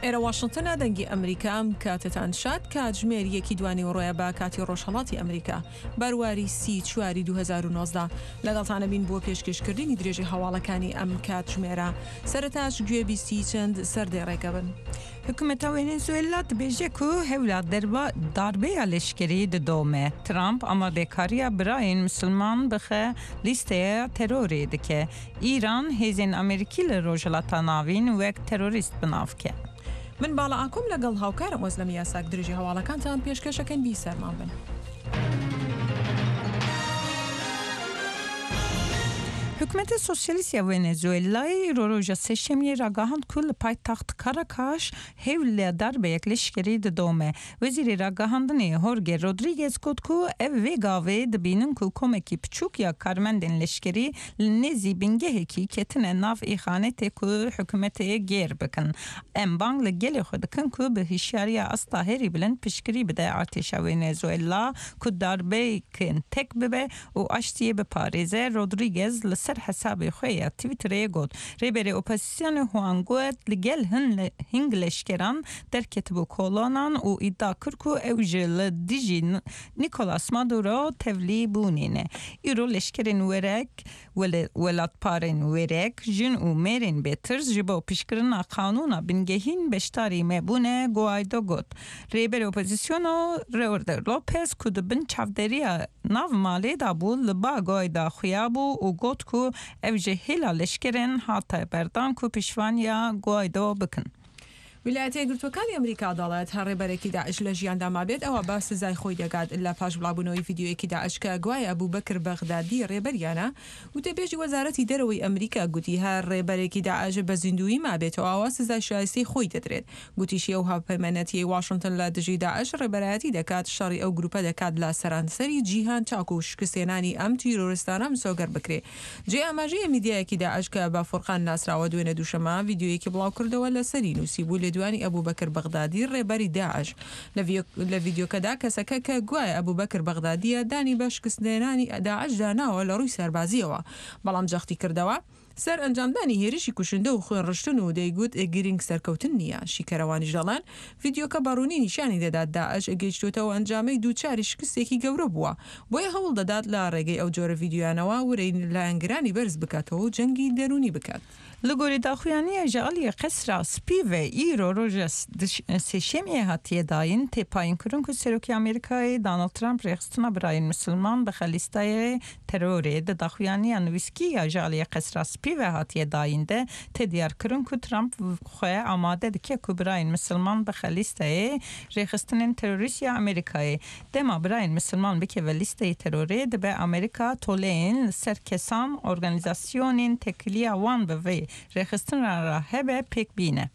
ئێرە واشنتنە دەنگی ئەمریکا ئەم کاتەتان شاد کاتژمێر یەکی دوانیوەڕۆیە بە کاتی ڕۆژهەڵاتی ئەمریکا بەرواری سی چواری 2019 لەگەڵتانە بین بۆ پێشکەشکردنی درێژەی هەواڵەکانی ئەم کاتژمێرە سەرەتاش گوێبیستی چەند سەردێڕێکە بن. Hikûmeta Venezuela dibêje ku hewla darbeya leşkerî didome. Trump amadekariya Birayên Misilman bixe lîsteya terorê dike. Îran hêzên Amerîkî li Rojhilata Navîn wek terorîst bi nav ke. من باڵا ئاکۆم لەگەڵ هاوکارم ئۆزلەم یاساک درێژەی هەواڵەکانتان پێشکەشەکەین بیسەرمان بن. Hikûmeta Sosyalîst ya Venezuelayê îro roja Sêşemiyê ragihand ku li paytext Caracas hewla darbeyek leşkerî didome. Wezîrê Ragihandinê Jorge Rodriguez got ku ev vê gavê dibînin ku komekî piçûk ya karmendên leşkerî li nêzî bingehekî ketine nav îxanetê ku hikûmetê gêr bikin. Em bang li gelê xwe dikin ku bi hişyariya asta herî bilind piştgirî bide artêşa Venezuela ku darbeyekên tek bibe û aştiyê biparêze, Rodriguez li ser hesabê xwe ya Twitterê got. Rêberê opozîsyonê Juan Guaidó li gel hin hing leşkeran derketibû kolanan û îdia kir ku ew ji li dijî Nicolas Maduro tevlî bûnê ne. Îro leşkerên werek, welatparên wêrek, jin û mêrên bêtirs ji bo pişkirina qanûna bingehîn beşdarî me bûne, Guaido got. Rêberê opozîsyona Roder Lopez ku di bin çavdêriya nav malê de bû li ba Guaido xuya bû û got ku ew ji hêla leşkerên hate berdan ku piştevaniya Guaido bikin. ویلایەتە یەکگرتووەکانی ئەمریکا دەڵێت، هەر ڕێبەرێکی داعش لە ژیاندا مابێت ئەوا بە سزای خۆی دەگات لە پاش بڵاوبوونەوەی ڤیدیۆیەکی داعش کە گوایە ئەبوبەکر بەغدادی ڕێبەریانە، وتەبێژی وەزارەتی دەرەوەی ئەمریکا گوتی هەر ڕێبەرێکی داعش بە زیندوویی مابێتەوە ئەوا سزای شایستەی خۆی دەدرێت. گوتیشی ئەو هاوپەیمانەتیەی واشنتن لە دژی داعش ڕێبەرایەتی دەکات شەڕی ئەو گروپە دەکات لە سەرانسەری جیهان تاکو شکستهێنانی ئەم تیرۆرستانە مسۆگەر بکرێ. جێی ئاماژەیە میدیایەکی داعش کە بە فورقان ناسراوە دوێنێ دووشەممە ڤیدیۆیەکی بڵاوکردەوە لەسەری نووسیبوو لێدوانی ئەبوبەکر بەغدادی ڕێبەری داعش. لە ڤیدیۆکەدا کەسەکە کە گوایە ئەبوبەکر بەغدادییە دانی بە شکستهێنانی داعشدا ناوە لە ڕووی سەربازییەوە بەڵام جەختی کردەوە سەر ئەنجامدانی هێرشی کوشندە و خوێنڕشتن و دەیگوت گرنگ سەرکەوتن نییە. شیکەرەوانیش دەڵێن ڤیدیۆکە بە ڕوونی نیشانی دەدات داعش گەیشتووەتە ئەو ئەنجامەی دووچاری شکستێکی گەورە بووە، بۆیە هەوڵ دەدات لە ڕێگەی ئەو جۆرە ڤیدیۆیانەوە ورەی لایەنگرانی بەرز بکاتەوە و جەنگی دەروونی بکات. Li gorî daxuyaniya ji aliyê Qesra Spî ve îro roja Sêşemiyê hatiye dayîn, tê payînkirin ku Serokê Amerîkayê Donald Trump rêxistina Birayên Misilman bixe lîsteyê terorê. Di daxuyaniya nivîskî ya ji aliyê Qesra Spî ve hatiye dayîn de tê diyarkirin ku Trump xwe amade dike ku Birayên Misilman bixe lîsteyê rêxistinên terorîst ya Amerîkayê. Dema Birayên Misilman bikeve lîsteyê terorê dibe Amerîka toleyên li ser kesan, organîzasyonên tekiliya wan bi vê rêxistina re hebe pêk bîne.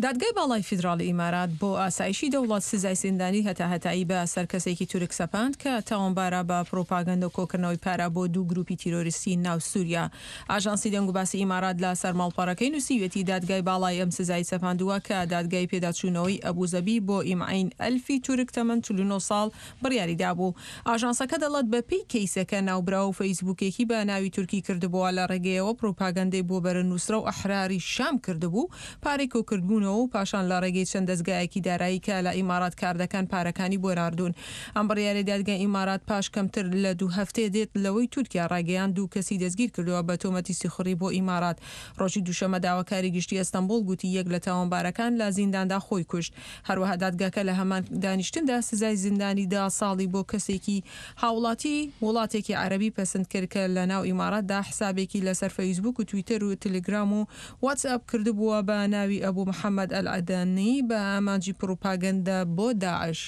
دادگای باڵای فیدراڵی ئیمارات بۆ ئاسایشی دەوڵەت سزای زیندانی هەتاهەتایی بە سەر کەسێکی تورک سەپاند کە تاوانبارە بە پڕوپاگەندە و کۆکردنەوەی پارە بۆ دوو گروپی تیرۆریستی ناو سوریا. ئاژانسی دەنگوباسی ئیمارات لە سەر ماڵپەڕەکەی نووسیویەتی دادگای باڵای ئەم سزای سەپاندووە کە دادگای پێداچوونەوەی ئەبوزەبی بۆ ئیمعین ئەلفی تورک تەمەن 49 ساڵ بڕیاری دابوو. ئاژانسەکە دەڵێت بە پێی کەیسەکە ناوبراو فەیسبووکێکی بە ناوی تورکی کردبووە لە ڕێگەیەوە پڕوپاگەندەی بۆ بەرە نوسرە و ئەحراری شام کردبوو پارەی کۆکردبوونەوە و پاشان لە ڕێگەی چەند دەزگایەکی دارایی کە لە ئیمارات کاردەکەن پارەکانی بۆ ناردوون. ئەم بڕیارەی دادگای ئیمارات پاش کەمتر لە دوو هەفتەیە دێت لەوەی تورکیا ڕایگەیاند دوو کەسی دەستگیرکردووە بە تۆمەتی سیخوڕی بۆ ئیمارات. ڕۆژی دووشەممە داواکاری گشتی ئەستەنبوڵ گوتی یەک لە تاوانبارەکان لە زینداندا خۆی کوشت. هەروەها دادگاکە لە هەمان دانیشتندا سزای زیندانی دە ساڵی بۆ کەسێکی هاوڵاتی وڵاتێکی عەرەبی پەسند کرد کە لە ناو ئیماراتدا حسابێکی لەسەر فەیسبوک و تویتەر و تلگرام و واتسئەپ کردبووە بە ناوی ئەبو محەمەد ئەلعەدەنی بە ئامانجی پڕوپاگەندە بۆ داعش.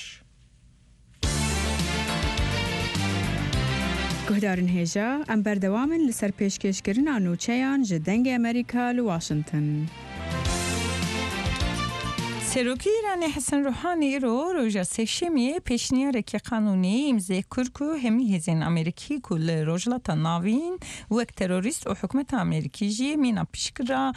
Guhdarên hêja, em berdewam in li ser pêşkêşkirina nûçeyan ji Dengê Amerîka li Washington. Serokê Îranê Hesen Ruhanî îro roja Sêşemiyê pêşniyarekî qanûnî îmzê kir ku hemî hêzên Amerîkî ku li Rojhilata Navîn wek terorîst û hikûmeta Amerîkî jî mîna piştgira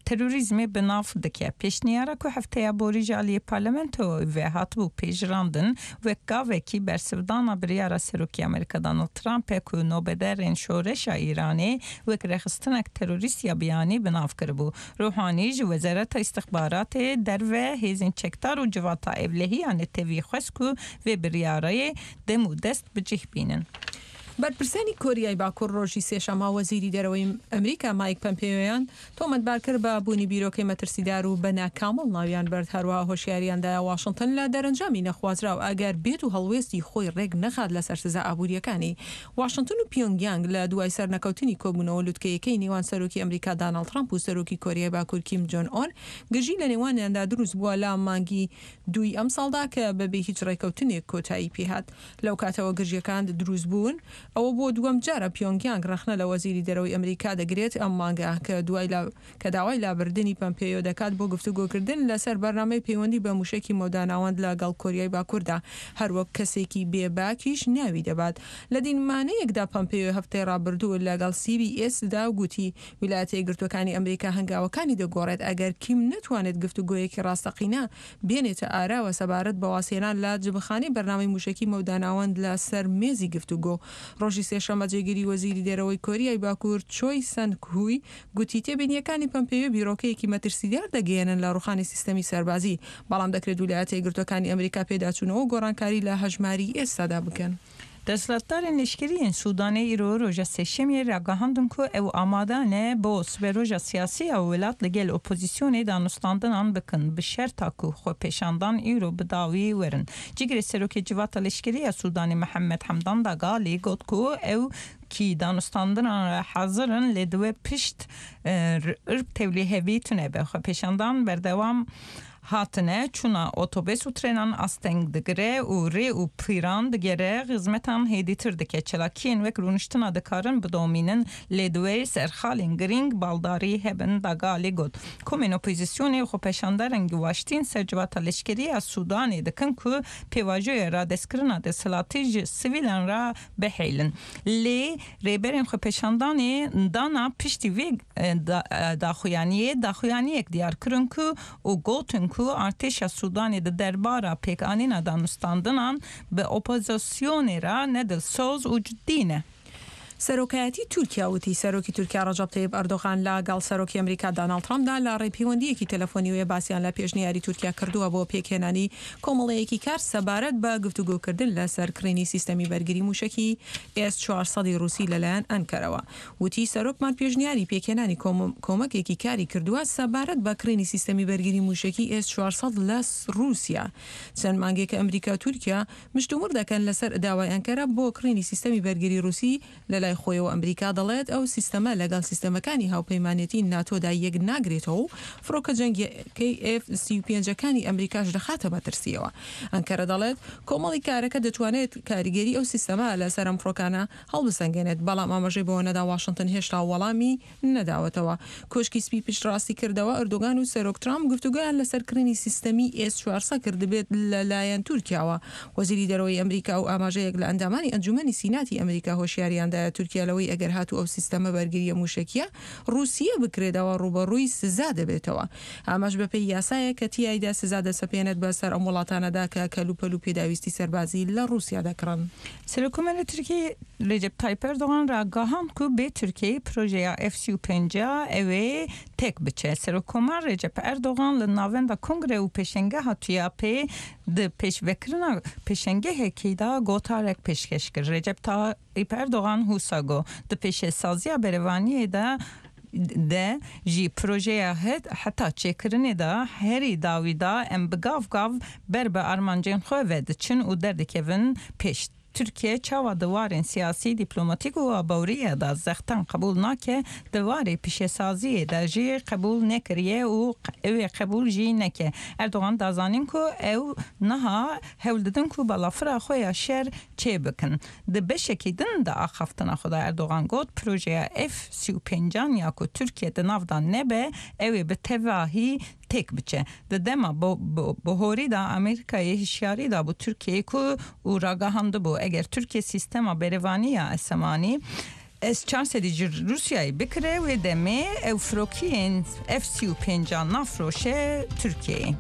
terorîzmê bi nav dike. Pêşniyara ku hefteya borî ji aliyê parlamentoyê ve hatibû pejirandin, wek gavekî bersivdana biryara Serokê Amerîka Donald Trump e ku nobederên şoreşa Îranê wek rêxistinek terorîst ya biyanî bi nav kiribû. Ruhanî ji Wezareta Îstixbaratê, Derve, Hêzên Çekdar û Civata Ewlehiya Netewî xwest ku vê biryarayê dem û dest bi cih bînin. بەرپرسانی کۆریای باکوور ڕۆژی سێشەممە وەزیری دەرەوەی ئەمریکا مایک پەمپێیۆیان تۆمەتبار کرد بە بوونی بیرۆکەی مەترسیدار و بە ناکامڵ ناویان برد، هەروەها هۆشیاریان دایە واشنتن لە دەرەنجامی نەخوازراو ئەگەر بێت و هەڵوێستی خۆی ڕێک نەخات لەسەر سزا ئابوورییەکانی واشنتن و پیۆنگیانگ لە دوای سەرنەکەوتنی کۆبوونەوە لوتکەیەکەی نێوان سەرۆکی ئەمریکا داناڵد ترەمپ و سەرۆکی کۆریای باکوور کیم جۆن ئۆن گرژی لە نێوانیاندا دروست بووە لە مانگی دووی ئەمساڵدا کە بەبێ هیچ ڕێکەوتنێک کۆتایی پێهات. لەو کاتەوە گرژییەکان دروست بوون، ئەوە بۆ دووەم جارە پیۆنگیانگ ڕەخنە لە وەزیری دەرەوەی ئەمریکا دەگرێت ئەم مانگە کە دوای کە داوای لابردنی پەمپێیۆ دەکات بۆ گفتوگۆکردن لەسەر بەرنامەی پەیوەندی بە موشەکی مەودا ناوەند لە گەڵ کۆریای باکوردا هەروەک کەسێکی بێ باکیش ناوی دەبات. لە دیمانەیەکدا پەمپێیۆ هەفتەی ڕابردوو لەگەڵ سی بی ئێس دا گوتی ویلایەتە یەکگرتووەکانی ئەمریکا هەنگاوەکانی دەگۆڕێت ئەگەر کیم نەتوانێت گفتوگۆیەکی ڕاستەقینە بێنێتە ئاراوە سەبارەت بە وازهێنان لە جبەخانەی بەرنامەی مووشەکی مەوداناوەند لە سەر مێزی گفتوگۆ. ڕۆژی سێشەممە جێگیری وەزیری دەرەوەی کۆریای باکوور چۆی سەنگ هوی گوتی تێبینییەکانی پەمپێیۆ بیرۆکەیەکی مەترسیدار دەگەیەنن لە ڕووخانی سیستەمی سەربازی، بەڵام دەکرێت ویلایەتە یەکگرتووەکانی ئەمریکا پێداچوونەوە و گۆڕانکاری لە هەژماری ئێستادا بکەن. دەسەڵاتدارên leşkerî yên Sûdanê îro roja Sêşemiyê ragihandin ku ew amade ne bo siberoja siyasî ya welat li gel opozîsyonê danûstandinan bikin bi şerta ku xwepêşandan îro bi dawî werin. Cîgirê Serokê Civata Leşkerî ya Sûdanê Mihemed Hemdan Dagalî got ku ew kî danûstandinan re hazir in lê di wê pişt irb tevlîhevî tune be. Xwepêşandan berdewam Hatine, çûna otobês û trênan asteng digire û rê û pîran digere, xizmetan hêdîtir dike. Çalakiyên wek rûniştina dikarin bidomînin, lê di wê ser xalên girîng baldarî hebin, Dagalê got. Komên opozîsyonê û xwepêşanderên giwaştîn ser civata leşkerî ya Sûdanê dikin ku pêvajoya radestkirina desthilatî ji sivîlan re bihêlin. Lê rêberên xwepêşandanê dana piştî vê daxuyaniyê daxuyaniyek diyar kirin ku û gotin ku artêşa Sûdanê di derbara pêkanîna danûstandinan bi opozisyonê re ne dilsoz û cidî ne. سەرۆکایەتی تورکیا وتی، سەرۆکی تورکیا ڕەجەب تەیب ئەردۆغان لە گەڵ سەرۆکی ئەمریکا داناڵد ترەمپدا لە ڕێی پەیوەندییەکی تەلەفۆنیوەیە باسیان لە پێشنیاری تورکیا کردووە بۆ پێکهێنانی کۆمەڵەیەکی کار سەبارەت بە گفتوگۆکردن لەسەر کڕینی سیستەمی بەرگری موشەکی ئێس 400 ی ڕوسی لەلایەن ئەنکەرەوە. وتی، سەرۆکمان پێشنیاری پێکهێنانی کۆمەکێکی کاری کردووە سەبارەت بە کڕینی سیستەمی بەرگری موشەکی ئێس 400 لە ڕوسیا. چەند مانگێکە ئەمریکا و تورکیا مشتومڕ دەکەن لەسەر داوای ئەنکەرە بۆ کڕینی سیستەمی بەرگری ڕوسی، لەلای خۆیەوە ئەمریکا دەڵێت ئەو سیستەمە لەگەڵ سیستەمەکانی هاوپەیمانێتی ناتۆدا یەک ناگرێتەوە و فڕۆکە جەنگییەکەی ئێف 35 ەکانی ئەمریکاش دەخاتە مەترسییەوە. ئەنکەرە دەڵێت کۆمەڵی کارەکە دەتوانێت کاریگەری ئەو سیستەمە لەسەر ئەم فڕۆکانە هەڵبسەنگێنێت، بەڵام ئاماژەی بەوە نەدا واشنتن هێشتا وەڵامی نەداوەتەوە. کۆشکی سپی پشتڕاستی کردەوە، ئەردۆگان و سەرۆک ترامپ گفتوگۆیان لەسەر کڕینی سیستەمی ئێس 400 کردبێت لە لایەن تورکیاوە. وەزیری دەرەوەی ئەمریکا و ئاماژەیەک لە ئەندامانی ئەنجومەنی سیناتی ئەمریکا هۆشیاریان دایە تورکیا لەوەی ئەگەر هاتوو ئەو سیستەمە بەرگرییە موشەکییە ڕووسییە بکرێت ئەوا ڕووبەڕووی سزا دەبێتەوە. ئەمەش بەپێی یاسایەک کە تیایدا سزا دەسەپێنێت بەسەر ئەم وڵاتانەدا کە کەلوپەل و پێداویستی سەربازی لە ڕووسیا دەکڕن. سەرۆککۆماری Tirkiyeyê Recep Tayyip Erdogan ragihand ku bê Tirkiyeyê projeya F 35 a ew ê têk biçe. Serokkomar Recep Erdogan li navenda Kongre û Pêşengeha TÜYAP'ê di pêşvekirina pêşengehekî de gotarek pêşkeş kir. Recep Tayyip Erdogan wisa got, Di pêşesaziya berevaniyê de de jî projeya heta çêkirinê de herî dawî de em bi gav gav ber bi armancên xwe ve diçin û derdikevin pêş. Tirkiye çawa di warên siyasî, dîplomatîk û aboriyê de zextan qebûl nake, di warê pîşesaziyê de jî qebûl nekiriye û ew ê qebûl jî neke. Erdogan da zanîn ku ew niha hewl didin ku balafira xwe ya şer çê bikin. Di beşekî din de axaftina xwe de Erdogan got, Projeya F 35 an ya ku Tirkiye di nav de nebe, ew ê bi tevahî têk biçe. Di dema bihorî de Amerîkayê hişyarî dabû Tirkiyeyê ku û ragihandibû eger Tirkiye sîstema berevanî ya esemanî S 400 ji Rûsyayê bikire wê demê ew firokiyên F 35 an nafiroşe Tirkiyeyê.